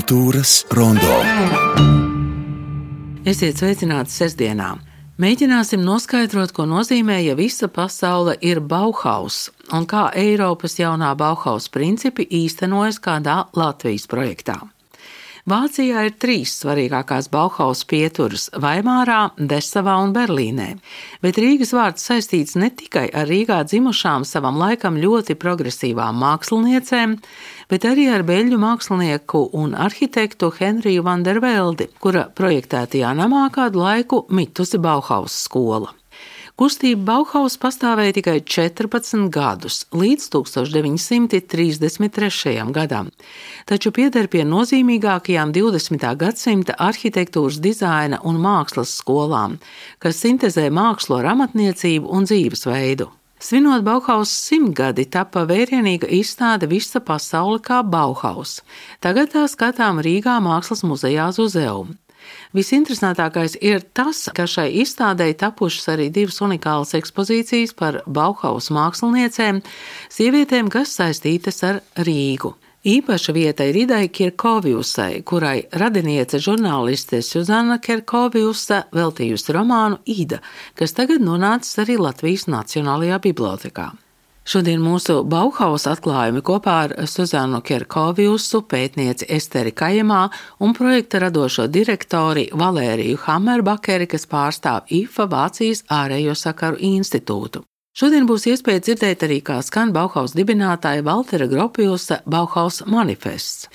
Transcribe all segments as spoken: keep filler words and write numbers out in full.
Kultūras rondo. Esiet sveicināti sestdienā. Mēģināsim noskaidrot, ko nozīmē, ja visa pasaule ir Bauhaus un kā Eiropas jaunā Bauhaus principi īstenojas kādā Latvijas projektā. Vācijā ir trīs svarīgākās Bauhaus pieturas – Vaimārā, Desavā un Berlīnē, bet Rīgas vārds saistīts ne tikai ar Rīgā dzimušām savam laikam ļoti progresīvām māksliniecēm, bet arī ar beļģu mākslinieku un arhitektu Henriju van der Veldi, kura projektētajā namā kādu laiku mitusi Bauhaus skola. Kustība Bauhaus pastāvēja tikai četrpadsmit gadus, līdz tūkstoš deviņi simti trīsdesmit trešajam gadam, taču pieder pie nozīmīgākajām divdesmitā gadsimta arhitektūras dizaina un mākslas skolām, kas sintezē mākslu ar amatniecību un dzīvesveidu. Svinot Bauhaus simtgadi, tapa vērienīga izstāde Visa pasaule kā Bauhaus. Tagad tā skatām Rīgā Mākslas muzejā Zuzeum. Visinteresantākais ir tas, ka šai izstādei tapušas arī divas unikālas ekspozīcijas par Bauhaus māksliniecēm, sievietēm, kas saistītas ar Rīgu. Īpaša vieta ir Idai Kirkoviusai, kurai radiniece žurnāliste Suzana Kirkoviusa veltījusi romānu Ida, kas tagad nonācis arī Latvijas Nacionālajā bibliotekā. Šodien mūsu Bauhaus atklājumi kopā ar Suzanu Kirkoviusu, pētnieci Esteri Kajemā un projekta radošo direktori Valēriju Hammerbakeri, kas pārstāv I F A Vācijas ārējo sakaru institūtu. Šodien būs iespēja dzirdēt arī, kā skan Bauhaus dibinātāja Valtera Gropiusa Bauhaus manifests.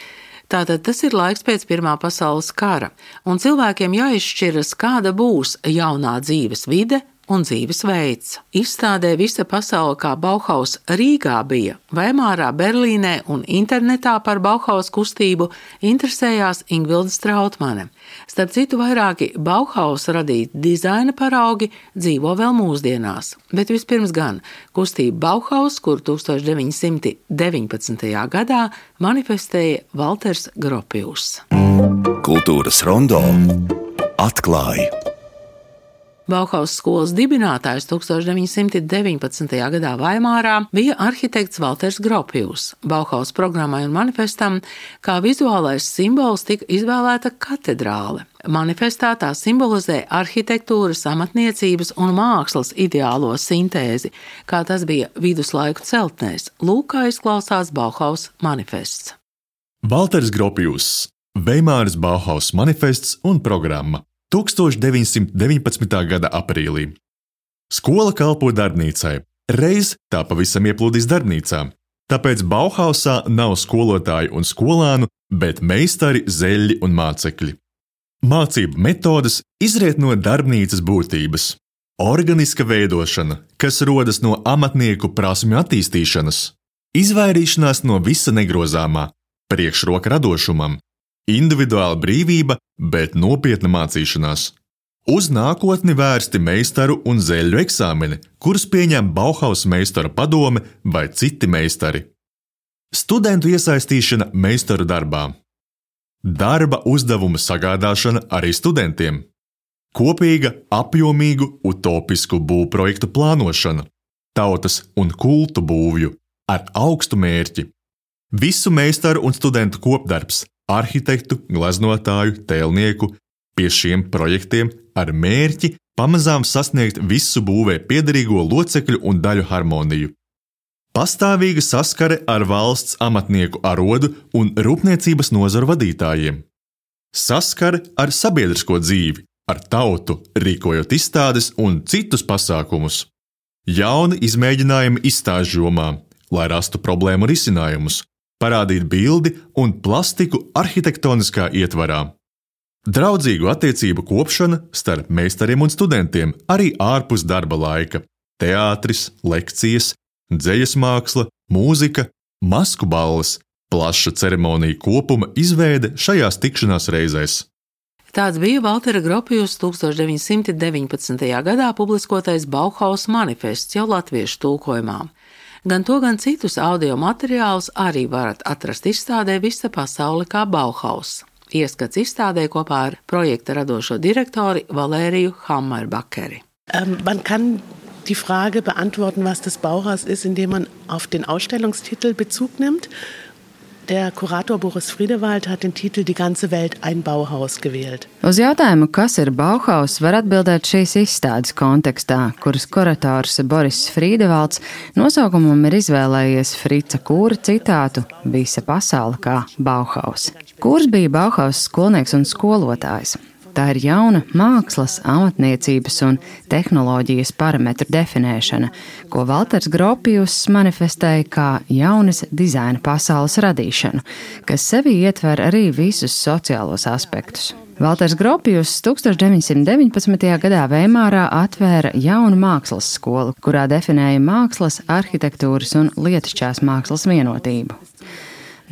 Tātad tas ir laiks pēc Pirmā pasaules kara, un cilvēkiem jāizšķiras, kāda būs jaunā dzīves vide un dzīvesveids. Izstādē Visa pasaule kā Bauhaus Rīgā bija, Vaimārā, Berlīnē un internetā par Bauhaus kustību interesējās Ingvilda Strautmane. Starp citu, vairāki Bauhaus radīti dizaina paraugi dzīvo vēl mūsdienās, bet vispirms gan kustība Bauhaus, kur tūkstoš deviņi simti deviņpadsmitajā gadā manifestēja Valters Gropius. Kultūras rondo atklāja. Bauhaus skolas dibinātājs tūkstoš deviņi simti deviņpadsmitajā gadā Vaimārā bija arhitekts Valters Gropius. Bauhaus programmai un manifestam kā vizuālais simbols tika izvēlēta katedrāle. Manifestā tā simbolizē arhitektūras, amatniecības un mākslas ideālo sintēzi, kā tas bija viduslaiku celtnēs. Lūk, kā izklausās Bauhaus manifests. Valters Gropius, Vaimāras Bauhaus manifests un programma. tūkstoš deviņi simti deviņpadsmitā gada aprīlī. Skola kalpo darbnīcai, reiz tā pavisam ieplūdīs darbnīcā, tāpēc Bauhausā nav skolotāju un skolānu, bet meistari, zeļļi un mācekļi. Mācību metodes izriet no darbnīcas būtības. Organiska veidošana, kas rodas no amatnieku prasmju attīstīšanas, izvairīšanās no visa negrozāmā, priekšroka radošumam, individuāla brīvība, bet nopietna mācīšanās. Uz nākotni vērsti meistaru un zeļļu eksāmeni, kurus pieņem Bauhaus meistara padome vai citi meistari. Studentu iesaistīšana meistaru darbā. Darba uzdevuma sagādāšana arī studentiem. Kopīga, apjomīgu, utopisku būvprojektu plānošana. Tautas un kultu būvju ar augstu mērķi. Visu meistaru un studentu kopdarbs. Arhitektu, gleznotāju, tēlnieku pie šiem projektiem ar mērķi pamazām sasniegt visu būvē piederīgo locekļu un daļu harmoniju. Pastāvīga saskare ar valsts amatnieku arodu un rūpniecības nozaru vadītājiem. Saskare ar sabiedrisko dzīvi, ar tautu, rīkojot izstādes un citus pasākumus. Jauni izmēģinājumi izstāžu jomā, lai rastu problēmu risinājumus, parādīt bildi un plastiku arhitektoniskā ietvarā. Draudzīgu attiecību kopšana starp meistariem un studentiem arī ārpus darba laika. Teātris, lekcijas, dzejas māksla, mūzika, masku balles, plaša ceremonija kopuma izveide šajās tikšanās reizēs. Tāds bija Valtera Gropius tūkstoš deviņi simti deviņpadsmitajā gadā publiskotais Bauhaus manifests jau latviešu tulkojumā. Gan to, gan citus audio materiālus arī varat atrast izstādē Visa pasaule kā Bauhaus. Ieskats izstādē kopā ar projekta radošo direktori Valēriju Hammerbakeri. Um, man kann die Frage beantworten, was das Bauhaus ist, indem man auf den Ausstellungstitel Bezug nimmt. Der Kurator Boris Friedewald hat den Titel Die ganze Welt ein Bauhaus gewählt. Uz jautājumu, kas ir Bauhaus, var atbildēt šīs izstādes kontekstā, kuras kurators Boris Friedevalds nosaukumam ir izvēlējies Frica Kūra citātu "Visa pasaule kā Bauhaus". Kūrs bija Bauhaus skolnieks un skolotājs. Tā ir jauna mākslas, amatniecības un tehnoloģijas parametru definēšana, ko Valters Gropius manifestēja kā jaunas dizaina pasaules radīšanu, kas sevī ietver arī visus sociālos aspektus. Valters Gropius deviņdesmit deviņpadsmitajā gadā Veimārā atvēra jaunu mākslas skolu, kurā definēja mākslas, arhitektūras un lietišķās mākslas vienotību.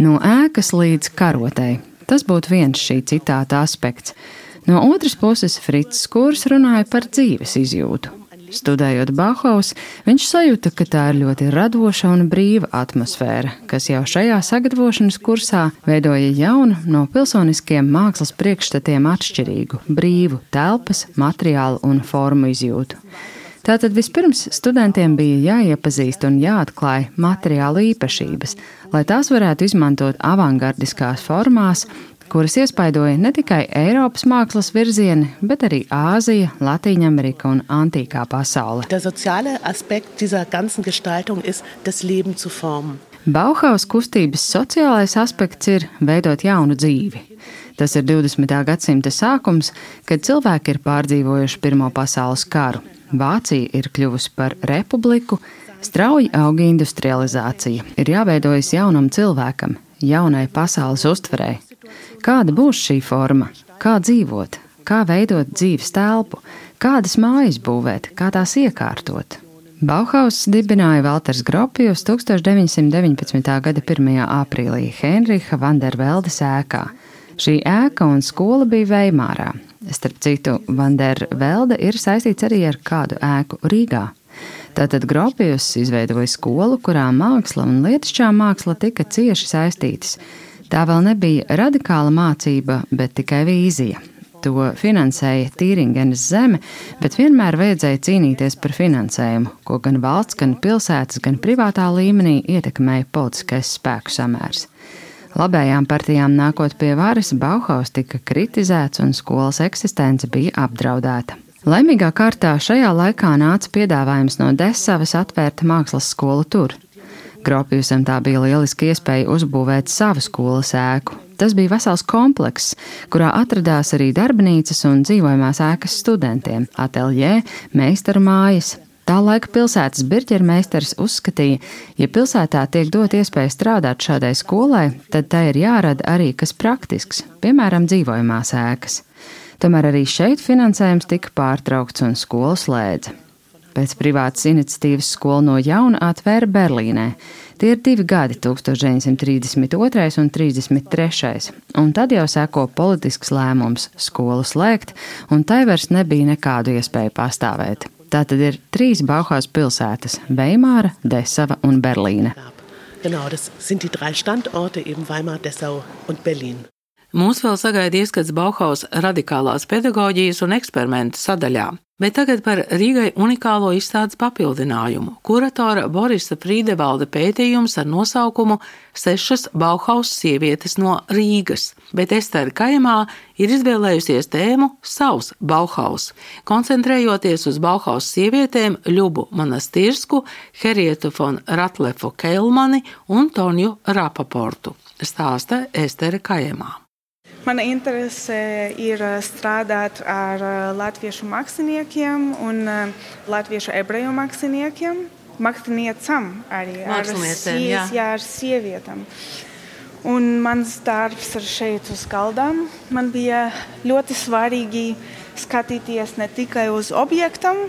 No ēkas līdz karotei. Tas būtu viens šī citāta aspekts. No otras puses, Fricis Kūrs runāja par dzīves izjūtu. Studējot Bauhaus, viņš sajūta, ka tā ir ļoti radoša un brīva atmosfēra, kas jau šajā sagatavošanas kursā veidoja jaunu, no pilsoniskiem mākslas priekšstatiem atšķirīgu, brīvu telpas, materiālu un formu izjūtu. Tātad vispirms studentiem bija jāiepazīst un jāatklāj materiālu īpašības, lai tās varētu izmantot avangardiskās formās, kuras iespaidoja ne tikai Eiropas mākslas virzieni, bet arī Āzija, Latīņamerika un antīkā pasaule. Der soziale Aspekt dieser ganzen Gestaltung ist, das Leben zu formen. Bauhaus kustības sociālais aspekts ir veidot jaunu dzīvi. Tas ir divdesmitā gadsimta sākums, kad cilvēki ir pārdzīvojuši Pirmo pasaules karu. Vācija ir kļuvusi par republiku, strauji auga industrializācija, ir jāveidojas jaunam cilvēkam, jaunai pasaules uztverei. Kāda būs šī forma? Kā dzīvot? Kā veidot dzīves telpu? Kādas mājas būvēt? Kā tās iekārtot? Bauhaus dibināja Valters Gropius deviņdesmit deviņpadsmitā gada pirmajā aprīlī Heinricha van der Veldes ēkā. Šī ēka un skola bija Veimārā. Starp citu, Van der Velde ir saistīts arī ar kādu ēku Rīgā. Tātad Gropius izveidoja skolu, kurā māksla un lietišķā māksla tika cieši saistītas. Tā vēl nebija radikāla mācība, bet tikai vīzija. To finansēja Tīringenes zeme, bet vienmēr vajadzēja cīnīties par finansējumu, ko gan valsts, gan pilsētas, gan privātā līmenī ietekmēja politiskais spēku samērs. Labējām partijām nākot pie varas, Bauhaus tika kritizēts un skolas eksistence bija apdraudēta. Laimīgā kārtā šajā laikā nāca piedāvājums no Desavas atvērt mākslas skolu tur. Gropiusam tā bija lieliska iespēja uzbūvēt savu skolas ēku. Tas bija vesels komplekss, kurā atradās arī darbnīcas un dzīvojamās ēkas studentiem, ateljē, meistaru mājas. Tā laika pilsētas birķermeistars uzskatīja, ja pilsētā tiek dot iespēja strādāt šādai skolai, tad tai ir jārada arī kas praktisks, piemēram, dzīvojamās ēkas. Tomēr arī šeit finansējums tika pārtraukts un skolu slēdza. Pēc privātas iniciatīvas skola no jauna atvēra Berlīnē. Tie ir divi gadi, deviņdesmit trīsdesmit otrais un trīsdesmit trešais, un tad jau seko politisks lēmums skolu slēgt, un tai vairs nebija nekādu iespēju pastāvēt. Tātad ir trīs Bauhaus pilsētas – Veimāra, Desava un Berlīne. Genau, das sind die drei Standorte, eben Weimar, Dessau und Berlin. Mūs vēl sagaida ieskats Bauhaus radikālās pedagoģijas un eksperimentu sadaļā, bet tagad par Rīgai unikālo izstādes papildinājumu. Kuratora Borisa Friedevalda pētījums ar nosaukumu Sešas Bauhaus sievietes no Rīgas, bet Estere Kajemā ir izvēlējusies tēmu Savs Bauhaus, koncentrējoties uz Bauhaus sievietēm Ļubu Monastirsku, Herietu von Ratlefu Keilmani un Tonju Rapaportu, stāsta Estere Kajemā. Mana interese ir strādāt ar latviešu māksliniekiem un latviešu ebreju māksliniekiem, māksliniecam arī, ar, sie, jā, ar sievietām. Un mans darbs ir šeit uz galdām. Man bija ļoti svarīgi skatīties ne tikai uz objektam,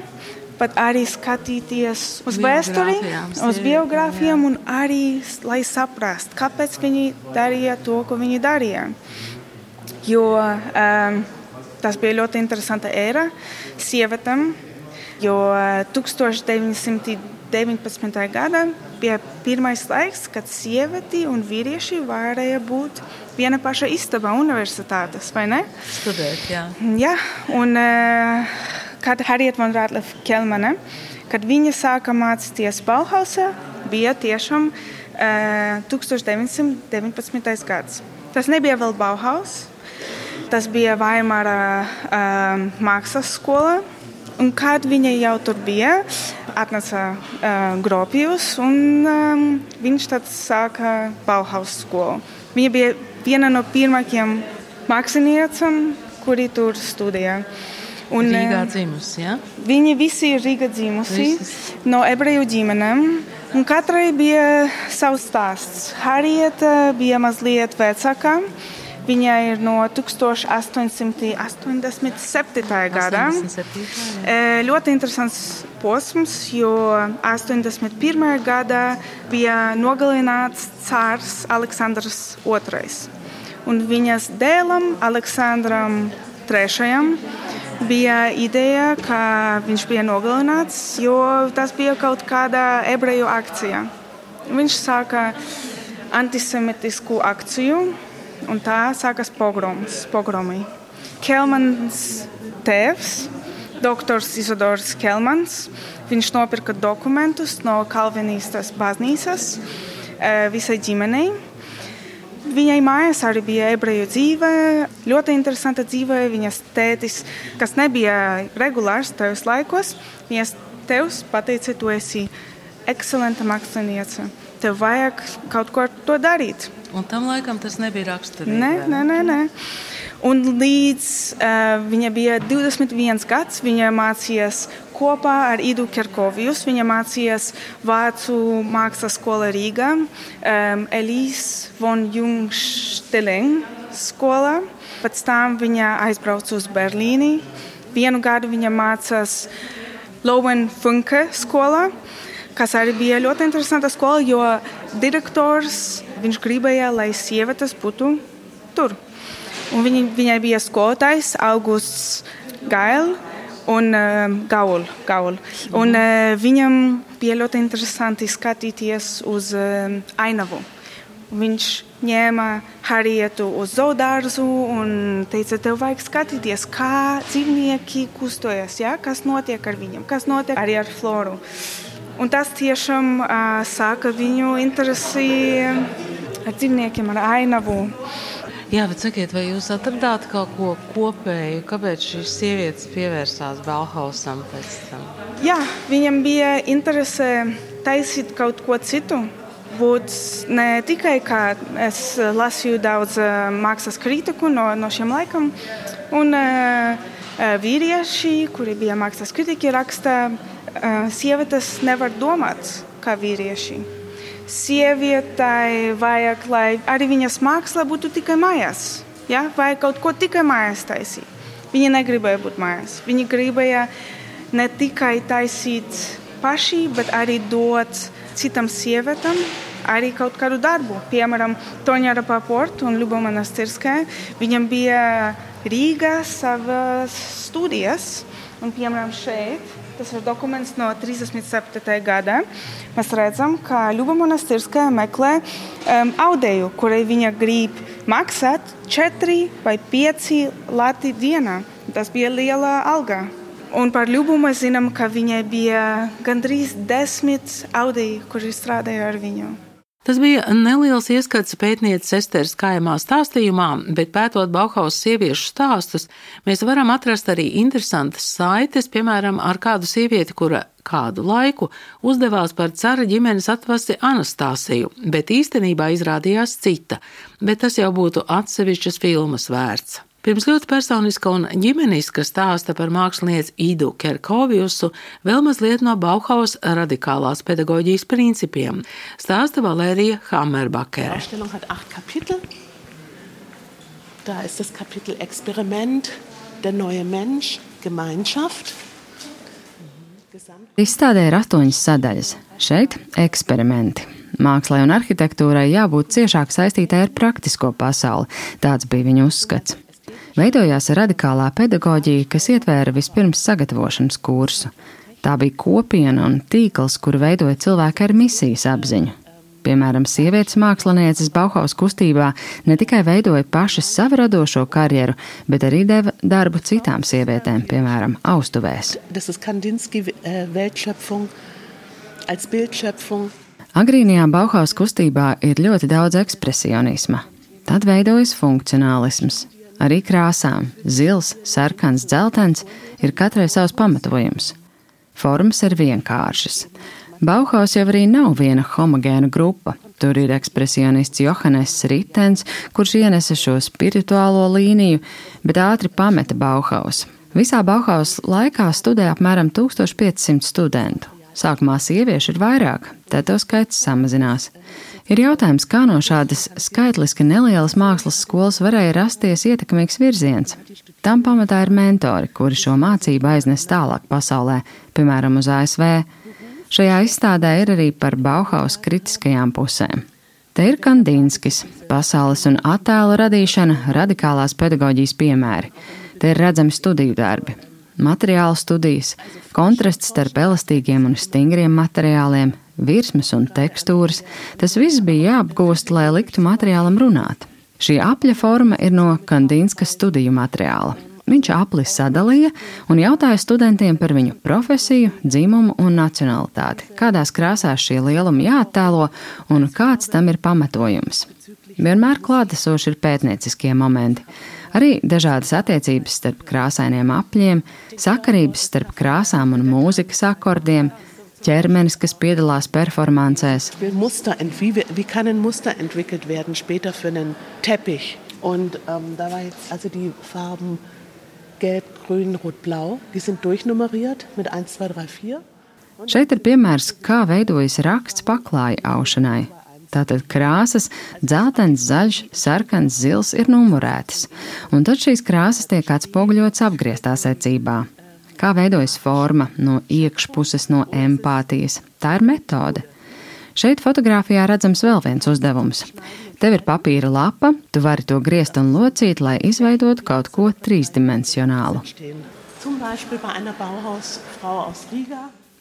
bet arī skatīties uz vēsturi, uz biogrāfijām un arī, lai saprast, kāpēc viņi darīja to, ko viņi darīja. Jo um, tas bija ļoti interesanta ēra sievietēm, jo deviņdesmit deviņpadsmitajā gadā bija pirmais laiks, kad sievieti un vīrieši varēja būt viena paša istabā universitātes, vai ne? Studēt, jā. Jā, un uh, kad Harriet von Ratleff Keilmane, kad viņa sāka mācīties Bauhausā, bija tiešām tūkstoš deviņsimt deviņpadsmitais gads. Tas nebija vēl Bauhaus, tas bija Vaimara uh, mākslas skola. Un kad viņa jau tur bija, atnāca uh, Gropijus, un um, viņš tad sāka Bauhaus skolu. Viņa bija viena no pirmākajiem mākslinieciem, kuri tur studēja. Un, Rīgā dzimusi, ja? Viņi visi ir Rīgā dzimusi, Visis. No ebreju ģimenēm. Un katrai bija savs stāsts. Harrieta bija mazliet vecāka. Viņa ir no tūkstoš astoņsimt astoņdesmit septītā gada. Ļoti interesants posms, jo astoņdesmit pirmajā gadā bija nogalināts cārs Aleksandrs otrais. Un viņas dēlam, Aleksandram trešajam, bija ideja, ka viņš bija nogalināts, jo tas bija kaut kāda ebreju akcija. Viņš sāka antisemitisku akciju, un tā sākas pogroms, pogromi. Kelmans tēvs, doktors Izodors Kelmans, viņš nopirka dokumentus no kalvinistas baznīcas visai ģimenei. Viņai mājās arī bija ebreju dzīve, ļoti interesanta dzīve. Viņas tētis, kas nebija regulārs tajos laikos, viņas tevs pateica, tu esi ekscelenta māksliniece. Tev vajag kaut ko ar to darīt. Un tam laikam tas nebija raksturīgi. Nē, nē, nē, nē. Un līdz uh, viņa bija divdesmit viens gads, viņa mācījās kopā ar Idu Kerkovijus. Viņa mācījās Vācu mākslas skola Rīgā, um, Elise von Jungstelen skola. Pēc tam viņa aizbrauca uz Berlīni. Vienu gadu viņa mācās Lowen Funke skola, kas arī bija ļoti interesanta skola, jo direktors viņš gribēja, lai sievietes būtu tur. Un viņa, viņai bija skolotājs Augusts Gail un uh, Gaul. Gaul. Un uh, viņam bija ļoti interesanti skatīties uz uh, ainavu. Viņš ņēma Harrietu uz zoodārzu un teica, tev vajag skatīties, kā dzīvnieki kustojas, ja? Kas notiek ar viņiem, kas notiek arī ar floru. Un tas tiešām uh, sāka viņu interesi ar dzīvniekiem, ar ainavu. Jā, bet sakiet, vai jūs atradāt kaut ko kopēju, kāpēc šīs sievietes pievērsās Bauhausam pēc tam? Jā, viņam bija interese taisīt kaut ko citu. Būt ne tikai, kā es lasīju daudz uh, mākslas kritiku no, no šiem laikam, un uh, vīrieši, kuri bija mākslas kritiki, raksta, uh, sievietes nevar domāt kā vīrieši. Sievietai vajag, lai arī viņas māksla būtu tikai mājās. Ja? Vajag kaut ko tikai mājās taisīt. Viņa negribēja būt mājās. Viņa gribēja ne tikai taisīt paši, bet arī dot citam sievietām arī kaut kādu darbu. Piemēram, Toņa Rapaport un Ļuba Monastirskaja. Viņam bija Rīgā savas studijas. Un, piemēram, šeit, tas ir dokuments no trīsdesmit septītā gada. Mēs redzam, ka Ļuba Monastirskaja meklē um, audeju, kurai viņa grib maksāt četri vai pieci lati dienā. Tas bija liela alga. Un par Ļubu mēs zinām, ka viņai bija gandrīz desmit audeji, kuri strādāja ar viņu. Tas bija neliels ieskats pētnieces Esteres Kājamā stāstījumā, bet pētot Bauhaus sieviešu stāstus, mēs varam atrast arī interesantas saites, piemēram, ar kādu sievieti, kura kādu laiku uzdevās par cara ģimenes atvasi Anastasiju, bet īstenībā izrādījās cita, bet tas jau būtu atsevišķas filmas vērts. Pirms ļoti personiska un ģimeniska stāsta par mākslinieci Idu Kerkovijusu vēl mazliet no Bauhaus radikālās pedagoģijas principiem, stāsta Valērija Hammerbakere. Da ist das Kapitel Experiment, der neue Mensch, Gemeinschaft. Izstādē ir astoņas sadaļas. Šeit eksperimenti. Mākslai un arhitektūrai jābūt ciešāk saistītai ar praktisko pasauli. Tāds bija viņa uzskats. Veidojās radikālā pedagoģija, kas ietvēra vispirms sagatavošanas kursu. Tā bija kopiena un tīkls, kuru veidoja cilvēki ar misijas apziņu. Piemēram, sievietes mākslinieces Bauhaus kustībā ne tikai veidoja pašas savu radošo karjeru, bet arī deva darbu citām sievietēm, piemēram, austuvēs. Das ist Kandinsky Weltschöpfung als Bildschöpfung. Agrīnajā Bauhaus kustībā ir ļoti daudz ekspresionisma. Tad veidojas funkcionālisms. Arī krāsām – zils, sarkans, dzeltens – ir katrai savs pamatojums. Formas ir vienkāršas. Bauhaus jau arī nav viena homogēna grupa. Tur ir ekspresionists Johannes Ritens, kurš ienesa šo spirituālo līniju, bet ātri pameta Bauhaus. Visā Bauhaus laikā studē apmēram tūkstoš piecsimt studentu. Sākumā sieviešu ir vairāk, tad to skaits samazinās. Ir jautājums, kā no šādas skaitliski nelielas mākslas skolas varēja rasties ietekmīgs virziens. Tam pamatā ir mentori, kuri šo mācību aiznes tālāk pasaulē, piemēram uz A S V. Šajā izstādē ir arī par Bauhaus kritiskajām pusēm. Te ir Kandinskis, pasaules un attēlu radīšana, radikālās pedagoģijas piemēri. Te ir redzami studiju darbi, materiālu studijas, kontrasts starp elastīgiem un stingriem materiāliem, virsmas un tekstūras. Tas viss bija jāapgūst, lai liktu materiālam runāt. Šī apļa forma ir no Kandinska studiju materiāla. Viņš apli sadalīja un jautāja studentiem par viņu profesiju, dzimumu un nacionalitāti, kādās krāsās šie lielumi jāattēlo un kāds tam ir pamatojums. Vienmēr klātesoši ir pētnieciskie momenti. Arī dažādas attiecības starp krāsainiem apļiem, sakarības starp krāsām un mūzikas akordiem, ķermenis, kas piedalās performancēs. Muster, wie, wie kann ein Muster entwickelt werden später für einen Teppich? Und ähm, da war jetzt also die Farben Gelb, Grün, Rot, Blau. Die sind durchnummeriert mit eins, zwei, drei, vier. Šeit ir piemērs, kā veidojas raksts paklāja aušanai. Tātad krāsas dzeltens, zaļš, sarkans, zils ir numurētas, un tad šīs krāsas tiek atspoguļotas apgrieztā secībā. Kā veidojas forma no iekšpuses, no empātijas? Tā ir metode. Šeit fotogrāfijā redzams vēl viens uzdevums. Tev ir papīra lapa, tu vari to griezt un locīt, lai izveidotu kaut ko trīsdimensionālu.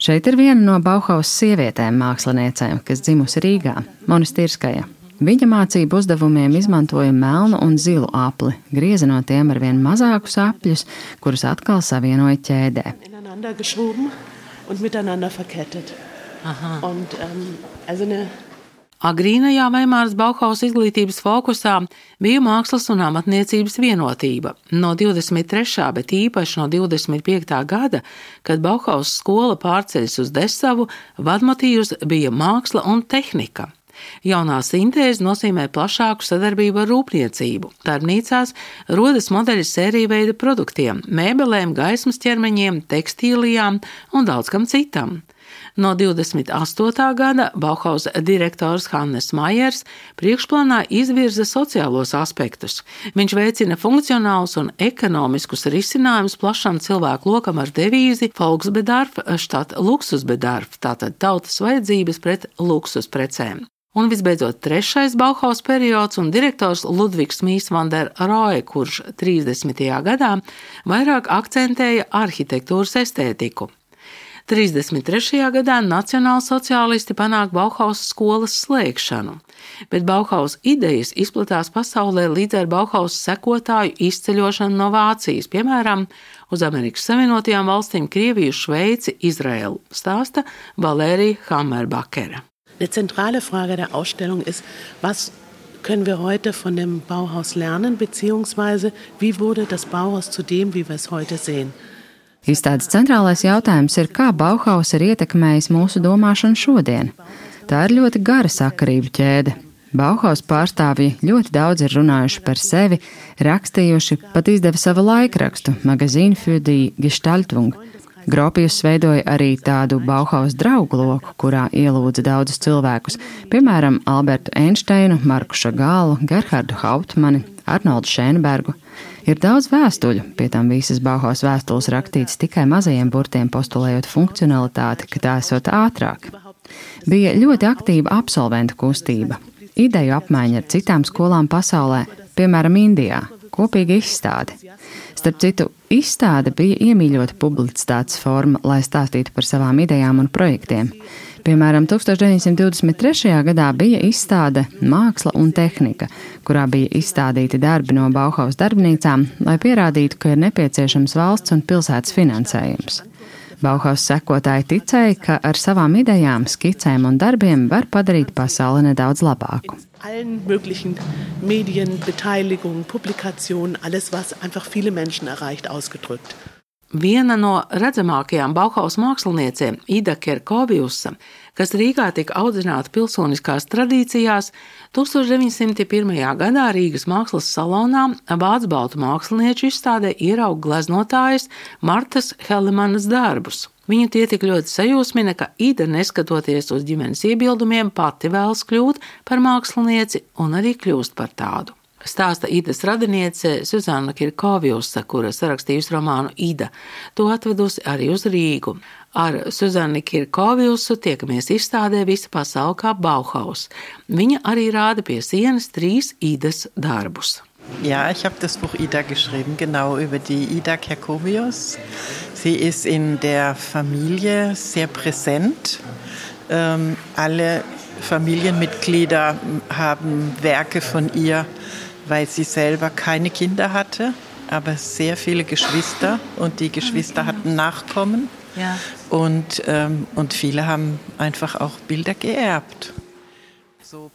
Šeit ir viena no Bauhaus sievietēm māksliniecēm, kas dzimusi Rīgā, Monistirskaja. Viņa mācību uzdevumiem izmantoja melnu un zilu apli, grieza no tiem ar vien mazākus apļus, kurus atkal savienoja ķēdē. Aha. Und, um, also ne... Agrīnajā Veimāras Bauhaus izglītības fokusā bija mākslas un amatniecības vienotība. No divdesmit trešā, bet īpaši no divdesmit piektā gada, kad Bauhaus skola pārceļas uz Desavu, vadmotīvs bija māksla un tehnika. Jaunā sintēze nozīmē plašāku sadarbību ar rūpniecību. Darbnīcās rodas modeļi sēriju veida produktiem, mēbelēm, gaismas ķermeņiem, tekstīlijām un daudz kam citam. No divdesmit astotā gada Bauhaus direktors Hannes Maiers priekšplānā izvirza sociālos aspektus. Viņš veicina funkcionālus un ekonomiskus risinājumus plašam cilvēku lokam ar devīzi Volksbedarf statt Luxusbedarf, tātad tautas vajadzības pret luksus precēm. Un visbeidzot trešais Bauhaus periods un direktors Ludvigs Mies van der Rohe, kurš trīsdesmitajā gadā vairāk akcentēja arhitektūras estētiku. trīsdesmit trešajā gadā nacionālsociālisti panāk Bauhaus skolas slēgšanu, bet Bauhaus idejas izplatās pasaulē līdz ar Bauhaus sekotāju izceļošanu no Vācijas, piemēram, uz Amerikas Savienotajām valstīm, Krieviju, Šveici, Izraelu, stāsta Valērija Hammerbakere. Eine zentrale Frage der Ausstellung ist, was können wir heute von dem Bauhaus lernen, beziehungsweise wie wurde das Bauhaus zu dem, wie wir es heute sehen? Izstādes centrālais jautājums ir, kā Bauhaus ir ietekmējis mūsu domāšanu šodien. Tā ir ļoti gara sakarību ķēde. Bauhaus pārstāvji ļoti daudz ir runājuši par sevi, rakstījuši, pat izdeva savu laikrakstu Magazine für die Gestaltung. Gropius veidoja arī tādu Bauhaus draugu loku, kurā ielūdza daudzus cilvēkus, piemēram, Albertu Einsteinu, Marku Šagālu, Gerhardu Hauptmani, Arnoldu Šēnbergu. Ir daudz vēstuļu, pie tam visas Bauhaus vēstules rakstītas tikai mazajiem burtiem, postulējot funkcionalitāti, ka tā esot ātrāk. Bija ļoti aktīva absolventu kustība, ideju apmaiņa ar citām skolām pasaulē, piemēram, Indijā, kopīga izstāde. Starp citu, izstāde bija iemīļota publicitātes forma, lai stāstītu par savām idejām un projektiem. Piemēram, tūkstoš deviņsimt divdesmit trešajā gadā bija izstāde Māksla un tehnika, kurā bija izstādīti darbi no Bauhaus darbnīcām, lai pierādītu, ka ir nepieciešams valsts un pilsētas finansējums. Bauhaus sekotāji ticēja, ka ar savām idejām, skicēm un darbiem var padarīt pasauli nedaudz labāku. Allen möglichen Medien, Beteiligung, Publikationen, alles, was einfach viele Menschen erreicht, ausgedrückt. Viena no redzamākajām Bauhaus māksliniecēm, Ida Kerkoviusa, kas Rīgā tika audzināta pilsoniskās tradīcijās, tūkstoš deviņsimt pirmajā gadā Rīgas mākslas salonā vācu baltu mākslinieču izstādē ierauga gleznotājas Martas Helemanas darbus. Viņu tie tik ļoti sajūsmina, ka Ida, neskatoties uz ģimenes iebildumiem, pati vēlas kļūt par mākslinieci un arī kļūst par tādu. Stāsta Idas radiniece Suzana Kerkoviusa, kura sarakstījusi romānu Ida. To atvedusi arī uz Rīgu. Ar Suzanu Kerkoviusu tiekamies izstādē Visa pasaule kā Bauhaus. Viņa arī rāda pie sienas trīs Idas darbus. Ja, ich habe das Buch Ida geschrieben, genau über die Ida Kerkovius. Sie ist in der Familie sehr präsent. Ähm, alle Familienmitglieder haben Werke von ihr, weil sie selber keine Kinder hatte, aber sehr viele Geschwister und die Geschwister hatten Nachkommen. Ja. Und, ähm, und viele haben einfach auch Bilder geerbt.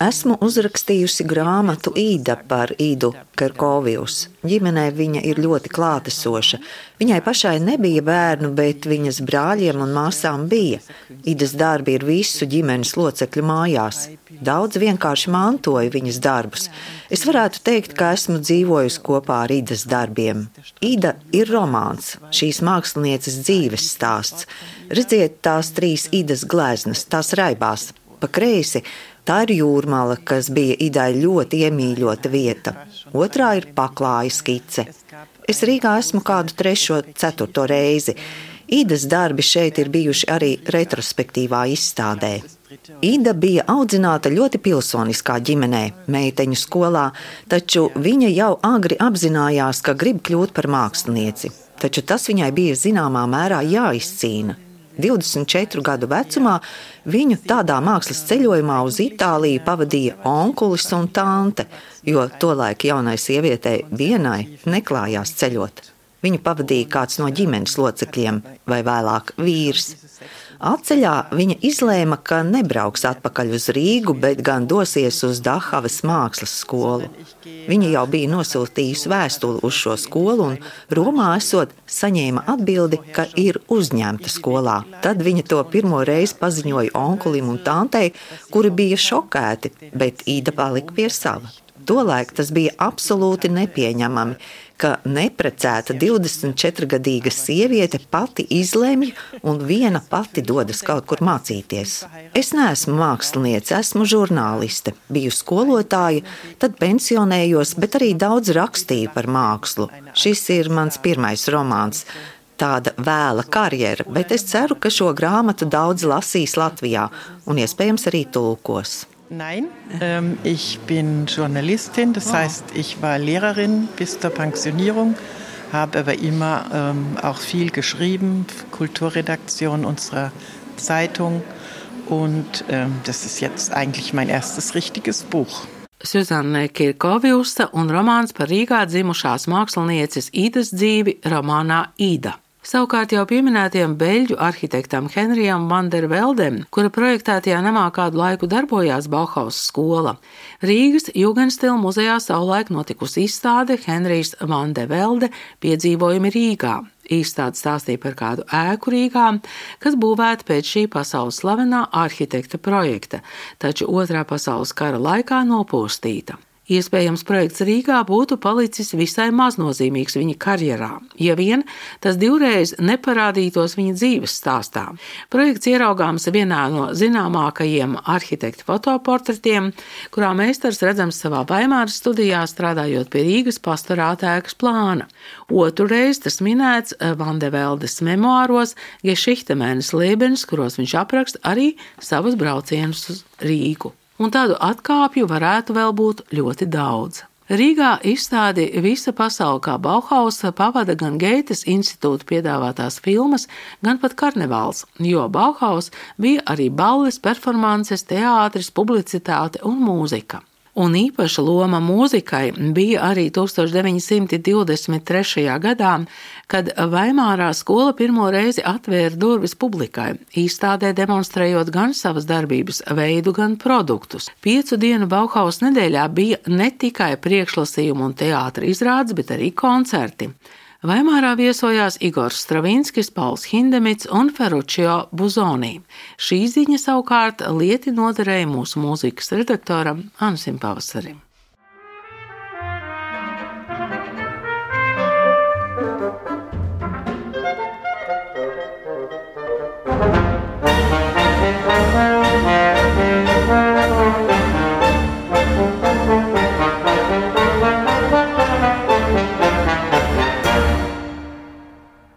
Esmu uzrakstījusi grāmatu Ida par Idu Kerkovius. Ģimenē viņa ir ļoti klātesoša. Viņai pašai nebija bērnu, bet viņas brāļiem un māsām bija. Idas darbi ir visu ģimenes locekļu mājās. Daudz vienkārši mantoja viņas darbus. Es varētu teikt, ka esmu dzīvojusi kopā ar Idas darbiem. Ida ir romāns, šīs mākslinieces dzīves stāsts. Redziet tās trīs Idas gleznas, tās raibās. Pa kreisi tā ir Jūrmala, kas bija Idai ļoti iemīļota vieta. Otrā ir Paklāja skice. Es Rīgā esmu kādu trešo, ceturto reizi. Idas darbi šeit ir bijuši arī retrospektīvā izstādē. Ida bija audzināta ļoti pilsoniskā ģimenē, meiteņu skolā, taču viņa jau agri apzinājās, ka grib kļūt par mākslinieci. Taču tas viņai bija zināmā mērā jāizcīna. divdesmit četru gadu vecumā viņu tādā mākslas ceļojumā uz Itāliju pavadīja onkulis un tante, jo tolaik jaunai sievietei vienai neklājās ceļot. Viņu pavadīja kāds no ģimenes locekļiem vai vēlāk vīrs. Atceļā viņa izlēma, ka nebrauks atpakaļ uz Rīgu, bet gan dosies uz Dahavas mākslas skolu. Viņa jau bija nosūtījusi vēstuli uz šo skolu un Romā esot saņēma atbildi, ka ir uzņemta skolā. Tad viņa to pirmo reizi paziņoja onkulim un tantei, kuri bija šokēti, bet Ida palika pie sava. Tolaik tas bija absolūti nepieņemami, ka neprecēta divdesmit četrgadīga sieviete pati izlemj un viena pati dodas kaut kur mācīties. Es neesmu māksliniece, esmu žurnāliste, biju skolotāja, tad pensionējos, bet arī daudz rakstīju par mākslu. Šis ir mans pirmais romāns. Tāda vēla karjera, bet es ceru, ka šo grāmatu daudz lasīs Latvijā un iespējams arī tulkos. Nein, ähm, ich bin Journalistin, das heißt, ich war Lehrerin bis zur Pensionierung, habe aber immer ähm, auch viel geschrieben, Kulturredaktion unserer Zeitung und ähm, das ist jetzt eigentlich mein erstes richtiges Buch. Suzana Kerkoviusa un romāns par Rīgā dzimušās mākslinieces Idas dzīvi romānā Ida. Savukārt jau pieminētiem beļģu arhitektam Henrijam van der Veldem, kura projektētajā namā kādu laiku darbojās Bauhaus skola. Rīgas Jugendstil muzejā savulaik notikusi izstāde Henrijs van der Velde piedzīvojumi Rīgā. Izstāde stāstīja par kādu ēku Rīgā, kas būvēta pēc šī pasaules slavenā arhitekta projekta, taču otrā pasaules kara laikā nopūstīta. Iespējams, projekts Rīgā būtu palicis visai maznozīmīgs viņa karjerā, ja vien tas divreiz neparādītos viņa dzīves stāstā. Projekts ieraugāms vienā no zināmākajiem arhitekta fotoportretiem, kurā meistars redzams savā Vaimāras studijā strādājot pie Rīgas pastorāta ēkas plāna. Otru reizi tas minēts Van de Veldes memoāros Geschichte-meines Lebens, kuros viņš apraksta arī savus braucienus uz Rīgu. Un tādu atkāpju varētu vēl būt ļoti daudz. Rīgā izstādi Visa pasaule kā Bauhaus pavada gan Geites institūta piedāvātās filmas, gan pat karnevāls, jo Bauhaus bija arī balles, performances, teātris, publicitāte un mūzika. Un īpaša loma mūzikai bija arī tūkstoš deviņi simti divdesmit trešajā gadā, kad Vaimārā skola pirmo reizi atvēra durvis publikai, izstādē demonstrējot gan savas darbības veidu, gan produktus. Piecu dienu Bauhaus nedēļā bija ne tikai priekšlasījumi un teātra izrādes, bet arī koncerti. Vaimārā viesojās Igors Stravinskis, Pauls Hindemits un Ferruccio Busoni. Šī ziņa savukārt lieti noderēja mūsu mūzikas redaktoram Ansim Pavasarim.